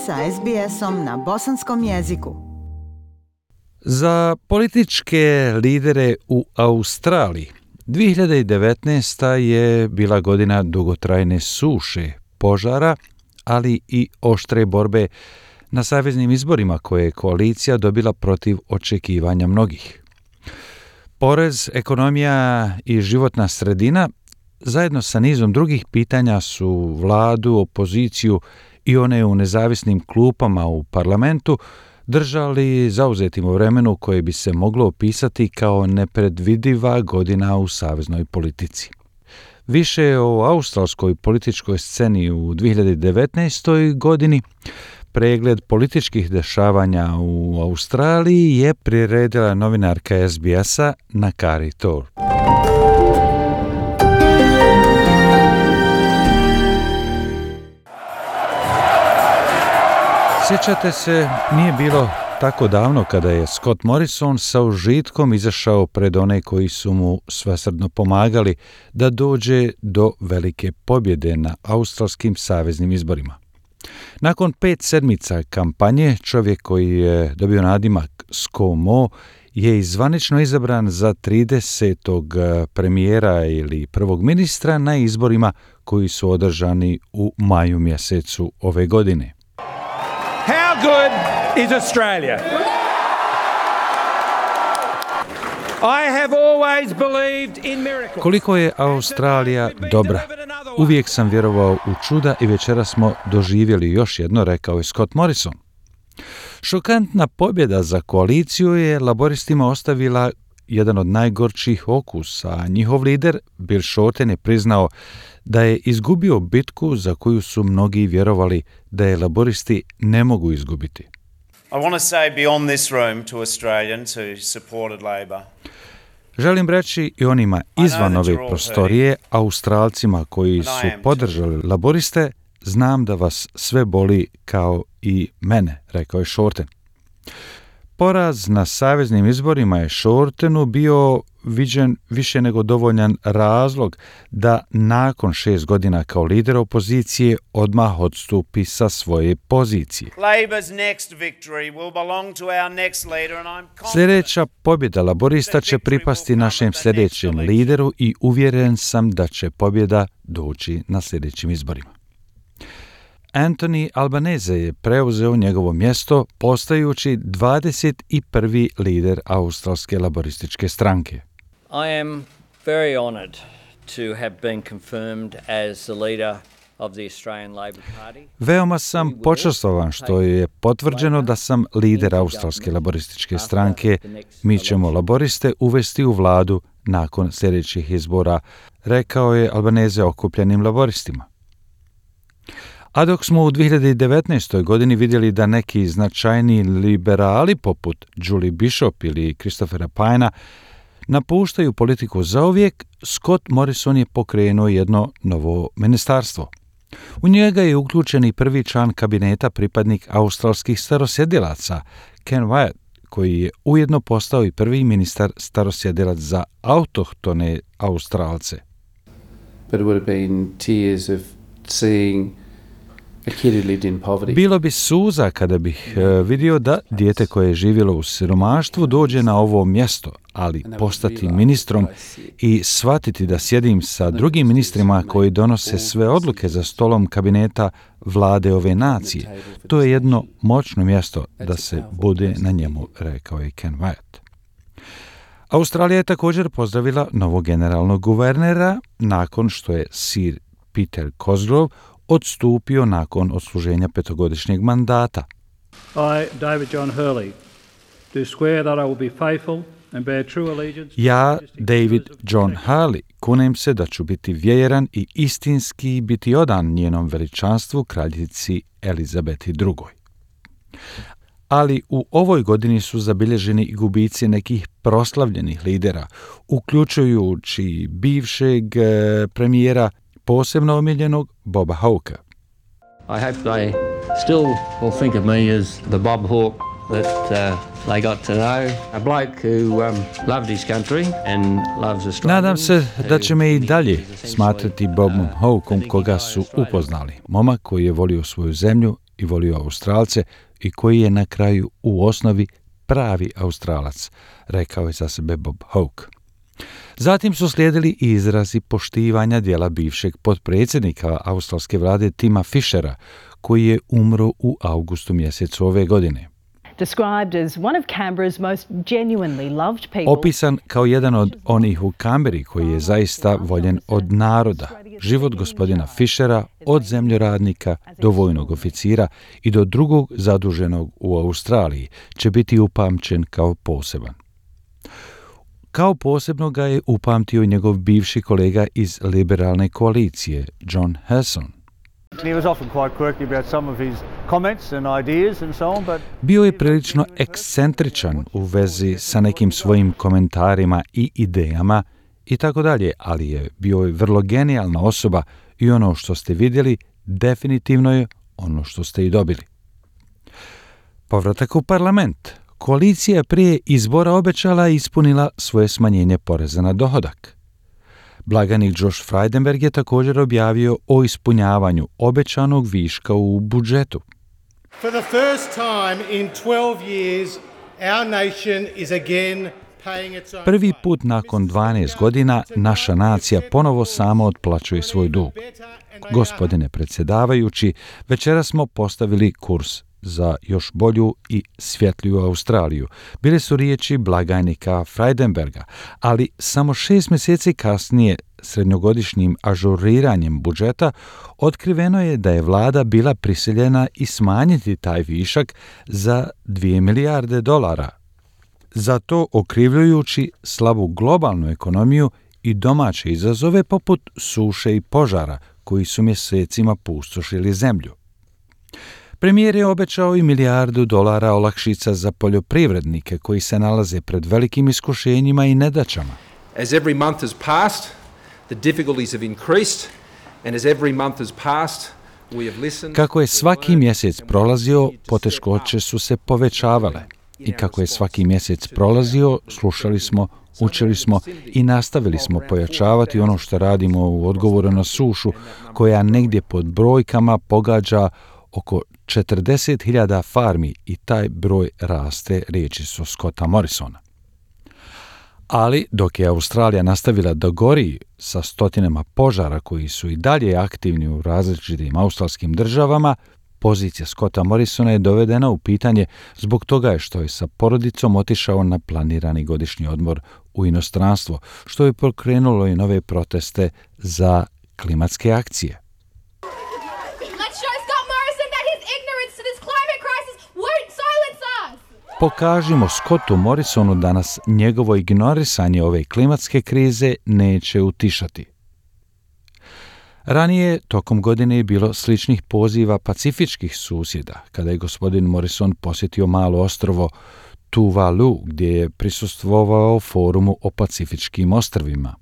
sa SBS-om na bosanskom jeziku. Za političke lidere u Australiji 2019. je bila godina dugotrajne suše, požara, ali i oštre borbe na saveznim izborima koje je koalicija dobila protiv očekivanja mnogih. Porez, ekonomija i životna sredina zajedno sa nizom drugih pitanja su vladu, opoziciju i one u nezavisnim klupama u parlamentu držali zauzetim u vremenu koje bi se moglo opisati kao nepredvidiva godina u saveznoj politici. Više o australskoj političkoj sceni u 2019. godini pregled političkih dešavanja u Australiji je priredila novinarka SBS-a Nakari Tor. Sjećate se, nije bilo tako davno kada je Scott Morrison sa užitkom izašao pred one koji su mu svesrdno pomagali da dođe do velike pobjede na australskim saveznim izborima. Nakon 5 sedmica kampanje, čovjek koji je dobio nadimak ScoMo je zvanično izabran za 30. premijera ili prvog ministra na izborima koji su održani u maju mjesecu ove godine. How good is Australia? I have always believed in miracles. Koliko je Australija dobra. Uvijek sam vjerovao u čuda i večeras smo doživjeli još jedno, rekao je Scott Morrison. Šokantna pobjeda za koaliciju je laboristima ostavila jedan od najgorčih okusa, a njihov lider Bill Shorten je priznao da je izgubio bitku za koju su mnogi vjerovali da je laboristi ne mogu izgubiti. I want to say beyond this room to Australians who supported Labor. Želim reći i onima izvan ove prostorije, Australcima koji su podržali laboriste, znam da vas sve boli kao i mene, rekao je Shorten. Poraz na saveznim izborima je Shortenu bio viđen više nego dovoljan razlog da nakon 6 godina kao lider opozicije odmah odstupi sa svoje pozicije. Sljedeća pobjeda laborista će pripasti našem sljedećem lideru i uvjeren sam da će pobjeda doći na sljedećim izborima. Anthony Albanese je preuzeo njegovo mjesto postajući 21. lider australske laborističke stranke. I am very honored to have been confirmed as the leader of the Australian Labor Party. Veoma sam počastovan što je potvrđeno da sam lider australske laborističke stranke. Mi ćemo laboriste uvesti u vladu nakon sljedećih izbora, rekao je Albanese okupljenim laboristima. A dok smo u 2019. godini vidjeli da neki značajni liberali poput Julie Bishop ili Christophera Pyna napuštaju politiku zauvijek, Scott Morrison je pokrenuo jedno novo ministarstvo. U njega je uključen i prvi član kabineta pripadnik australskih starosjedilaca, Ken Wyatt, koji je ujedno postao i prvi ministar starosjedilac za autohtone Australce. But it would have been tears of seeing bilo bi suza kada bih vidio da dijete koje je živjelo u siromaštvu dođe na ovo mjesto, ali postati ministrom i shvatiti da sjedim sa drugim ministrima koji donose sve odluke za stolom kabineta vlade ove nacije. To je jedno moćno mjesto da se bude na njemu, rekao je Ken Wyatt. Australija je također pozdravila novog generalnog guvernera nakon što je Sir Peter Cosgrove odstupio nakon odsluženja 5-godišnjeg mandata. I, David John Hurley, do swear that I will be faithful and bear true allegiance. Ja, David John Hurley, kunem se da ću biti vjeran i istinski biti odan njenom veličanstvu kraljici Elizabeti II. Ali u ovoj godini su zabilježeni i gubici nekih proslavljenih lidera, uključujući bivšeg premijera posebno omiljenog Boba Hawkea. I hope they still will think of me as the Bob Hawke that they got to know, a bloke who loved his country and loves Australia. Nadam se da će me i dalje smatrati Bobom Hawkeom koga su upoznali. Momak koji je volio svoju zemlju i volio Australce i koji je na kraju u osnovi pravi Australac, rekao je za sebe Bob Hawke. Zatim su slijedili i izrazi poštivanja dijela bivšeg potpredsjednika australske vlade Tima Fishera, koji je umro u avgustu mjesecu ove godine. Opisan kao jedan od onih u Kamberi koji je zaista voljen od naroda. Život gospodina Fishera od zemljoradnika do vojnog oficira i do drugog zaduženog u Australiji će biti upamćen kao poseban. Kao posebno ga je upamtio njegov bivši kolega iz liberalne koalicije, John Hesson. Bio je prilično ekscentričan u vezi sa nekim svojim komentarima i idejama i tako dalje, ali je bio vrlo genijalna osoba i ono što ste vidjeli definitivno je ono što ste i dobili. Povratak u parlament. Koalicija prije izbora obećala i ispunila svoje smanjenje poreza na dohodak. Blagajnik Josh Frydenberg je također objavio o ispunjavanju obećanog viška u budžetu. For the first time in 12 years, our nation is again paying its own. Prvi put nakon 12 godina naša nacija ponovo sama otplaćuje svoj dug. Gospodine predsjedavajući, večeras smo postavili kurs za još bolju i svjetliju Australiju. Bile su riječi blagajnika Frydenberga, ali samo 6 mjeseci kasnije, srednjogodišnjim ažuriranjem budžeta, otkriveno je da je vlada bila prisiljena i smanjiti taj višak za $2 milijarde. Za to okrivljujući slabu globalnu ekonomiju i domaće izazove poput suše i požara koji su mjesecima pustošili zemlju. Premijer je obećao i $1 milijardu olakšica za poljoprivrednike koji se nalaze pred velikim iskušenjima i nedaćama. As every month has passed, the difficulties have increased, and as every month has passed, we have listened. Kako je svaki mjesec prolazio, poteškoće su se povećavale. I kako je svaki mjesec prolazio, slušali smo, učili smo i nastavili smo pojačavati ono što radimo u odgovoru na sušu, koja negdje pod brojkama pogađa oko 40.000 farmi i taj broj raste, riječi su Scotta Morrisona. Ali dok je Australija nastavila da gori sa stotinama požara koji su i dalje aktivni u različitim australskim državama, pozicija Scotta Morrisona je dovedena u pitanje zbog toga je što je sa porodicom otišao na planirani godišnji odmor u inostranstvo, što je pokrenulo i nove proteste za klimatske akcije. Pokažimo Scottu Morrisonu da nas njegovo ignorisanje ove klimatske krize neće utišati. Ranije, tokom godine je bilo sličnih poziva pacifičkih susjeda, kada je gospodin Morrison posjetio malo ostrvo Tuvalu, gdje je prisustvovao forumu o pacifičkim ostrvima.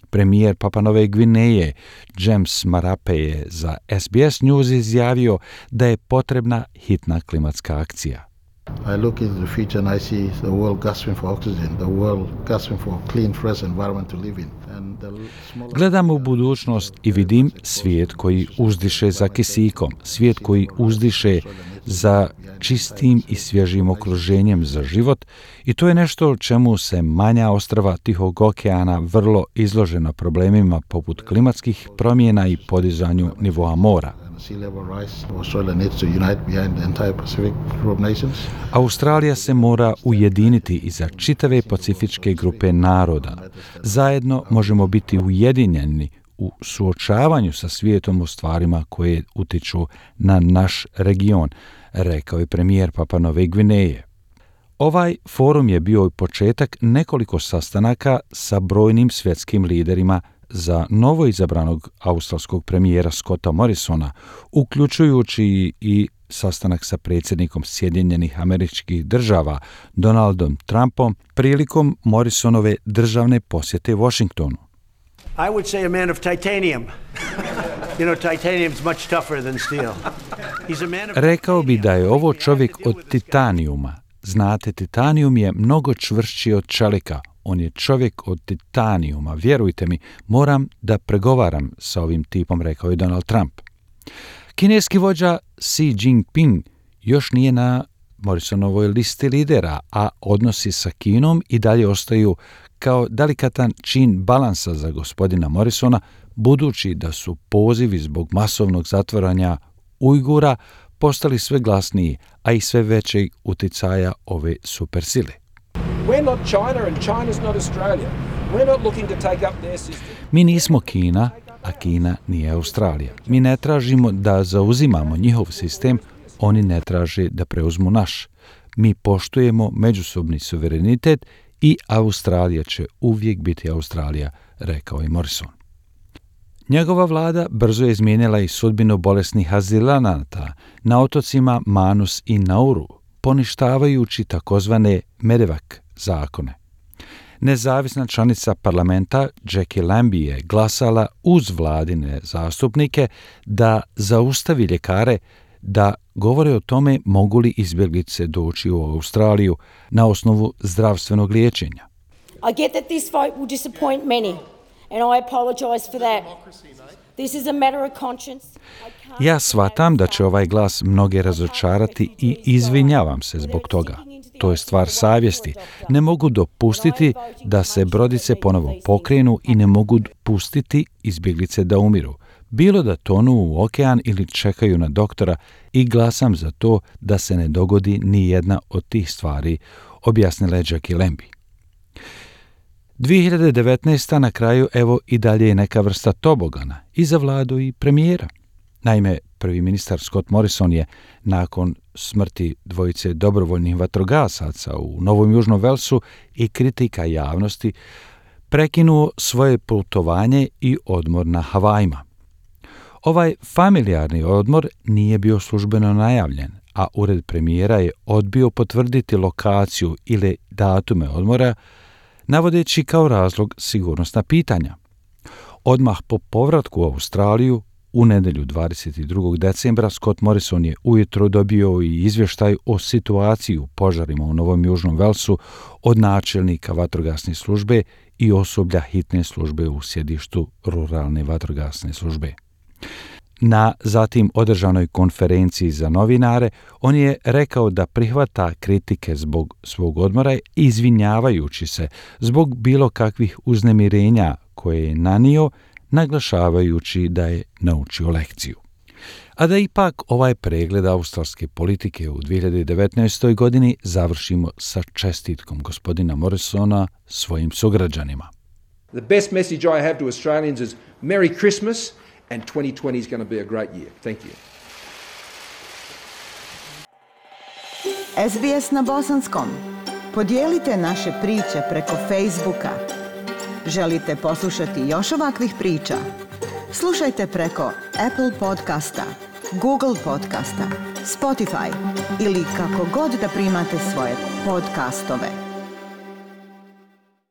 Premijer Papua Nove Gvineje James Marape je za SBS News izjavio da je potrebna hitna klimatska akcija. I look into the future and I see the world gasping for oxygen, the world gasping for clean, fresh environment to live in. Gledam u budućnost i vidim svijet koji uzdiše za kisikom, svijet koji uzdiše za čistim i svježim okruženjem za život i to je nešto čemu se manja ostrva Tihog okeana vrlo izložena problemima poput klimatskih promjena i podizanju nivoa mora. Australija se mora ujediniti iza čitave pacifičke grupe naroda. Zajedno možemo biti ujedinjeni u suočavanju sa svijetom u stvarima koje utiču na naš region, rekao je premijer Papua Nove Gvineje. Ovaj forum je bio početak nekoliko sastanaka sa brojnim svjetskim liderima za novo izabranog australskog premijera Scotta Morrisona, uključujući i sastanak sa predsjednikom Sjedinjenih Američkih Država Donaldom Trumpom prilikom Morrisonove državne posjete Washingtonu. I would say a man of titanium. You know, titanium's much tougher than steel. He's a man of Rekao bi da je ovo čovjek od titanijuma. Znate, titanijum je mnogo čvršći od čelika. On je čovjek od titanijuma. Vjerujte mi, moram da pregovaram sa ovim tipom, rekao je Donald Trump. Kineski vođa Xi Jinping još nije na Morrisonovoj listi lidera, a odnosi sa Kinom i dalje ostaju kao delikatan čin balansa za gospodina Morrisona, budući da su pozivi zbog masovnog zatvaranja Ujgura postali sve glasniji, a i sve većeg uticaja ove supersile. We're not China and China's not Australia. We're not looking to take up their system. Mi nismo Kina, a Kina nije Australija. Mi ne tražimo da zauzimamo njihov sistem, oni ne traže da preuzmu naš. Mi poštujemo međusobni suverenitet i Australija će uvijek biti Australija, rekao je Morrison. Njegova vlada brzo je izmijenila i sudbinu bolesnih azilanata na otocima Manus i Nauru, poništavajući takozvane Medevac zakone. Nezavisna članica parlamenta Jackie Lambie je glasala uz vladine zastupnike da zaustavi ljekare da govore o tome mogu li izbjeglice doći u Australiju na osnovu zdravstvenog liječenja. I get that this vote will disappoint many, and I apologize for that. This is a matter of conscience. Ja shvatam da će ovaj glas mnoge razočarati i izvinjavam se zbog toga. To je stvar savjesti. Ne mogu dopustiti da se brodice ponovo pokrenu i ne mogu pustiti izbjeglice da umiru. Bilo da tonu u okean ili čekaju na doktora i glasam za to da se ne dogodi ni jedna od tih stvari, objasnila je Jackie Lambie. 2019. na kraju evo i dalje je neka vrsta tobogana i za vladu i premijera. Naime, prvi ministar Scott Morrison je nakon smrti dvojice dobrovoljnih vatrogasaca u Novom Južnom Velsu i kritika javnosti prekinuo svoje putovanje i odmor na Havajima. Ovaj familijarni odmor nije bio službeno najavljen, a ured premijera je odbio potvrditi lokaciju ili datume odmora, navodeći kao razlog sigurnosna pitanja. Odmah po povratku u Australiju, u nedjelju 22. decembra, Scott Morrison je ujutro dobio i izvještaj o situaciji u požarima u Novom Južnom Velsu od načelnika vatrogasne službe i osoblja hitne službe u sjedištu ruralne vatrogasne službe. Na zatim održanoj konferenciji za novinare, on je rekao da prihvata kritike zbog svog odmora, izvinjavajući se zbog bilo kakvih uznemirenja koje je nanio, naglašavajući da je naučio lekciju. A da ipak ovaj pregled australske politike u 2019. godini završimo sa čestitkom gospodina Morrisona svojim sugrađanima. The best message I have to Australians is Merry Christmas and 2020 is going to be a great year. Thank you. SBS na bosanskom. Podijelite naše priče preko Facebooka. Želite poslušati još ovakvih priča? Slušajte preko Apple podcasta, Google podcasta, Spotify ili kako god da primate svoje podcastove.